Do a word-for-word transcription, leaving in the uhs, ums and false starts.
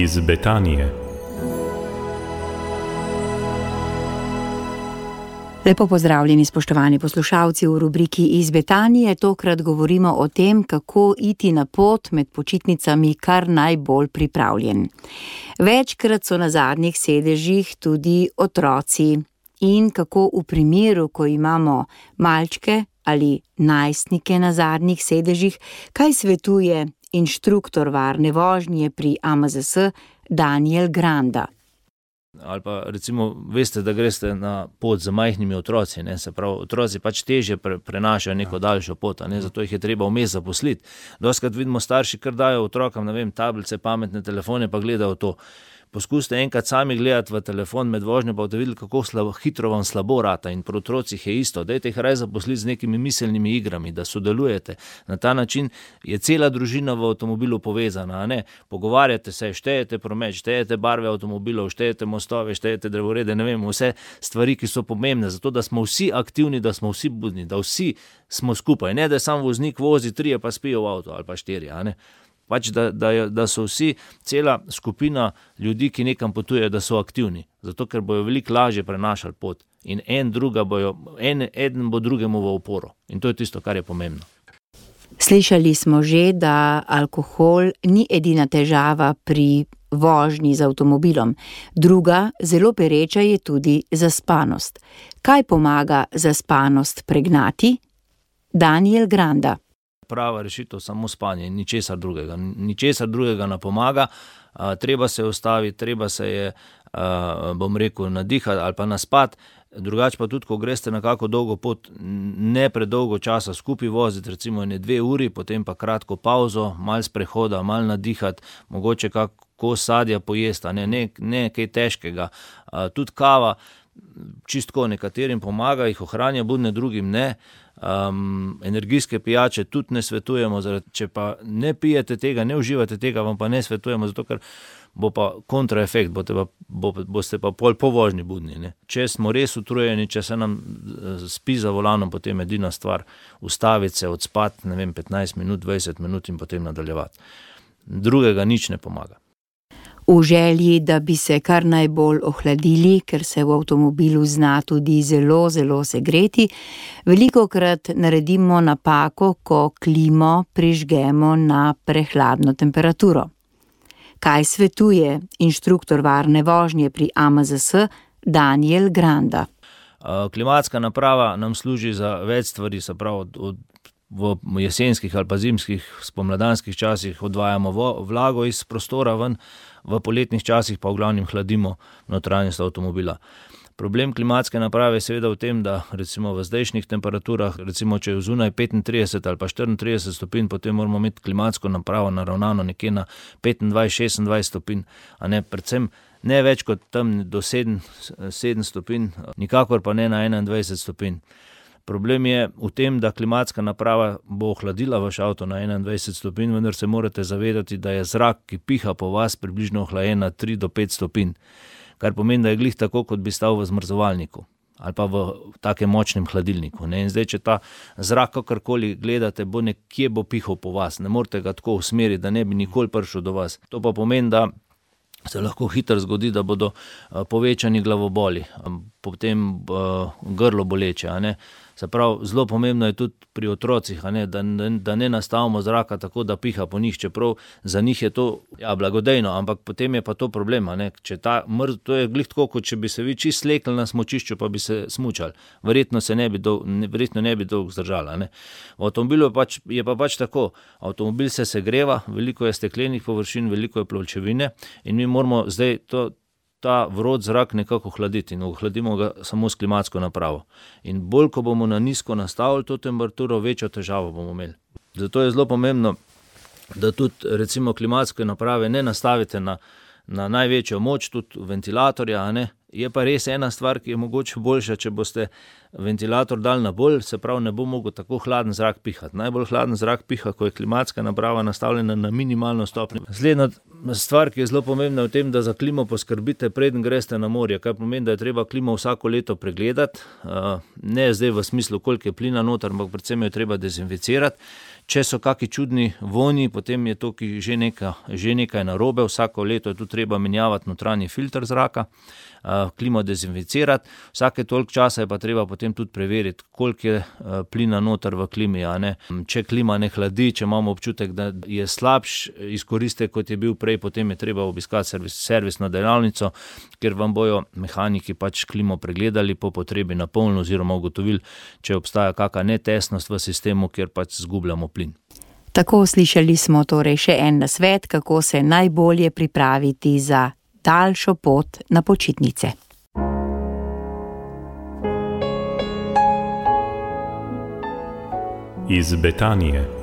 iz Betanije. Lepo pozdravljeni, spoštovani poslušalci, v rubriki Iz Betanije. Tokrat govorimo o tem, kako iti na pot med počitnicami kar najbolj pripravljen. Večkrat so na zadnjih sedežih tudi otroci in kako v primeru, ko imamo malčke ali najstnike na zadnjih sedežih, kaj svetuje inštruktor varne vožnje pri A M Z S Daniel Granda. Ali pa recimo veste, da greste na pot z majhnimi otroci, ne? Se pravi, otroci pač težje pre, prenašajo neko daljšo pot, ne? Zato jih je treba vmes zaposliti. Dostikrat vidimo starši, kar dajo otrokom, ne vem, tablice, pametne telefone, pa gledajo to. Poskusite enkrat sami gledati v telefon med vožnjo, pa boste videli, kako slabo, hitro vam slabo rata, in pri otrocih je isto. Dajte jih raje zaposliti z nekimi miselnimi igrami, da sodelujete. Na ta način je cela družina v avtomobilu povezana, a ne? Pogovarjate se, štejete promet, štejete barve avtomobilov, štejete mostove, štejete drevorede, ne vem, vse stvari, ki so pomembne, zato da smo vsi aktivni, da smo vsi budni, da vsi smo skupaj, ne da sam voznik vozi, trije pa spijo v avto ali pa štiri, a ne? Pač, da, da, da so vsi, cela skupina ljudi, ki nekam potujejo, da so aktivni. Zato, ker bojo veliko lažje prenašali pot. In en, druga bojo, en, eden bo drugemu v oporo. In to je tisto, kar je pomembno. Slišali smo že, da alkohol ni edina težava pri vožnji z avtomobilom. Druga, zelo pereča, je tudi zaspanost. Kaj pomaga zaspanost pregnati? Daniel Granda. Prava rešitev samo spanje, ničesar drugega. Ničesar drugega ne pomaga, a, treba se ustaviti, treba se je, a, bom rekel, nadihati ali pa naspati, drugače pa tudi, ko greste na kako dolgo pot, ne predolgo časa skupaj voziti, recimo ene dve uri, potem pa kratko pauzo, malo sprehoda, malo nadihati, mogoče kako sadja pojesti, ne, ne, ne kaj težkega. A, tudi kava, čistko nekaterim pomaga, jih ohranja budne, drugim ne. Um, energijske pijače tudi ne svetujemo, zaradi, če pa ne pijete tega, ne uživate tega, vam pa ne svetujemo, zato ker bo pa kontraefekt, boste pa, bo, boste pa pol po vožnji budni. Ne? Če smo res utrujeni, če se nam spi za volanom, potem edina stvar ustaviti se, odspati, ne vem, petnajst minut, dvajset minut in potem nadaljevati. Drugega nič ne pomaga. V želji, da bi se kar najbolj ohladili, ker se v avtomobilu zna tudi zelo, zelo segreti, velikokrat naredimo napako, ko klimo prižgemo na prehladno temperaturo. Kaj svetuje inštruktor varne vožnje pri A M Z S Daniel Granda? Klimatska naprava nam služi za več stvari, se pravi od, od v jesenskih ali pa zimskih, spomladanskih časih odvajamo vlago iz prostora ven, v poletnih časih pa v glavnem hladimo notranjost avtomobila. Problem klimatske naprave je seveda v tem, da recimo v zdajšnjih temperaturah, recimo če je zunaj petintrideset ali pa štiriintrideset stopinj, potem moramo imeti klimatsko napravo naravnano nekje na petindvajset šestindvajset stopinj, a ne, predvsem ne več kot tam do sedem, sedem stopinj, nikakor pa ne na enaindvajset stopinj. Problem je v tem, da klimatska naprava bo ohladila vaš avto na enaindvajset stopinj, vendar se morate zavedati, da je zrak, ki piha po vas, približno ohlajen na tri do pet stopinj, kar pomeni, da je glih tako, kot bi stal v zmrzovalniku ali pa v takem močnem hladilniku. Ne? In zdaj, če ta zrak kakorkoli gledate, bo nekje bo pihal po vas, ne morete ga tako usmeriti, da ne bi nikoli prišel do vas. To pa pomeni, da se lahko hitro zgodi, da bodo povečani glavoboli, potem grlo boleče, a ne. Se pravi, zelo pomembno je tudi pri otrocih, a ne, da, da ne nastavimo zraka tako, da piha po njih, čeprav za njih je to ja, blagodejno, ampak potem je pa to problem, a ne, če ta mrz, to je glih tako, kot če bi se vi čist slekli na smučišču, pa bi se smučali. Verjetno se ne bi dolgo, verjetno ne bi dolgo zdržali, a ne. V avtomobilu je, pač, je pa pač tako, avtomobil se segreva, veliko je steklenih površin, veliko je pločevine in mi moramo zdaj to ta vrod zrak nekako hladiti in ohladimo ga samo s klimatsko napravo. In bolj, ko bomo na nizko nastavili to temperaturo, večjo težavo bomo imeli. Zato je zelo pomembno, da tudi recimo klimatske naprave ne nastavite na, na največjo moč, tudi ventilatorja, a ne. Je pa res ena stvar, ki je mogoče boljša, če boste ventilator dal na bolj, se pravi, ne bo mogel tako hladen zrak pihati. Najbolj hladen zrak piha, ko je klimatska naprava nastavljena na minimalno stopnjo. Naslednja stvar, ki je zelo pomembna v tem, da za klimo poskrbite, preden greste na morje, kar pomeni, da je treba klimo vsako leto pregledati, ne zdaj v smislu, koliko je plina noter, ampak predvsem jo treba dezinficirati. Če so kakšni čudni vonji, potem je to že nekaj, že nekaj narobe. Vsako leto je tu treba menjavati notranji filter zraka, klimo dezinficirati. Vsake toliko časa je pa treba potem tudi preveriti, koliko je plina noter v klimi, a ne. Če klima ne hladi, če imamo občutek, da je slabš izkoristek, kot je bil prej, potem je treba obiskati servis, servisno delavnico, kjer vam bojo mehaniki pač klimo pregledali po potrebi na polno oziroma ugotovili, če obstaja kakšna netesnost v sistemu, kjer pač zgubljamo plin. Tako slišali smo torej še en nasvet, kako se najbolje pripraviti za daljšo pot na počitnice. Iz Betanije.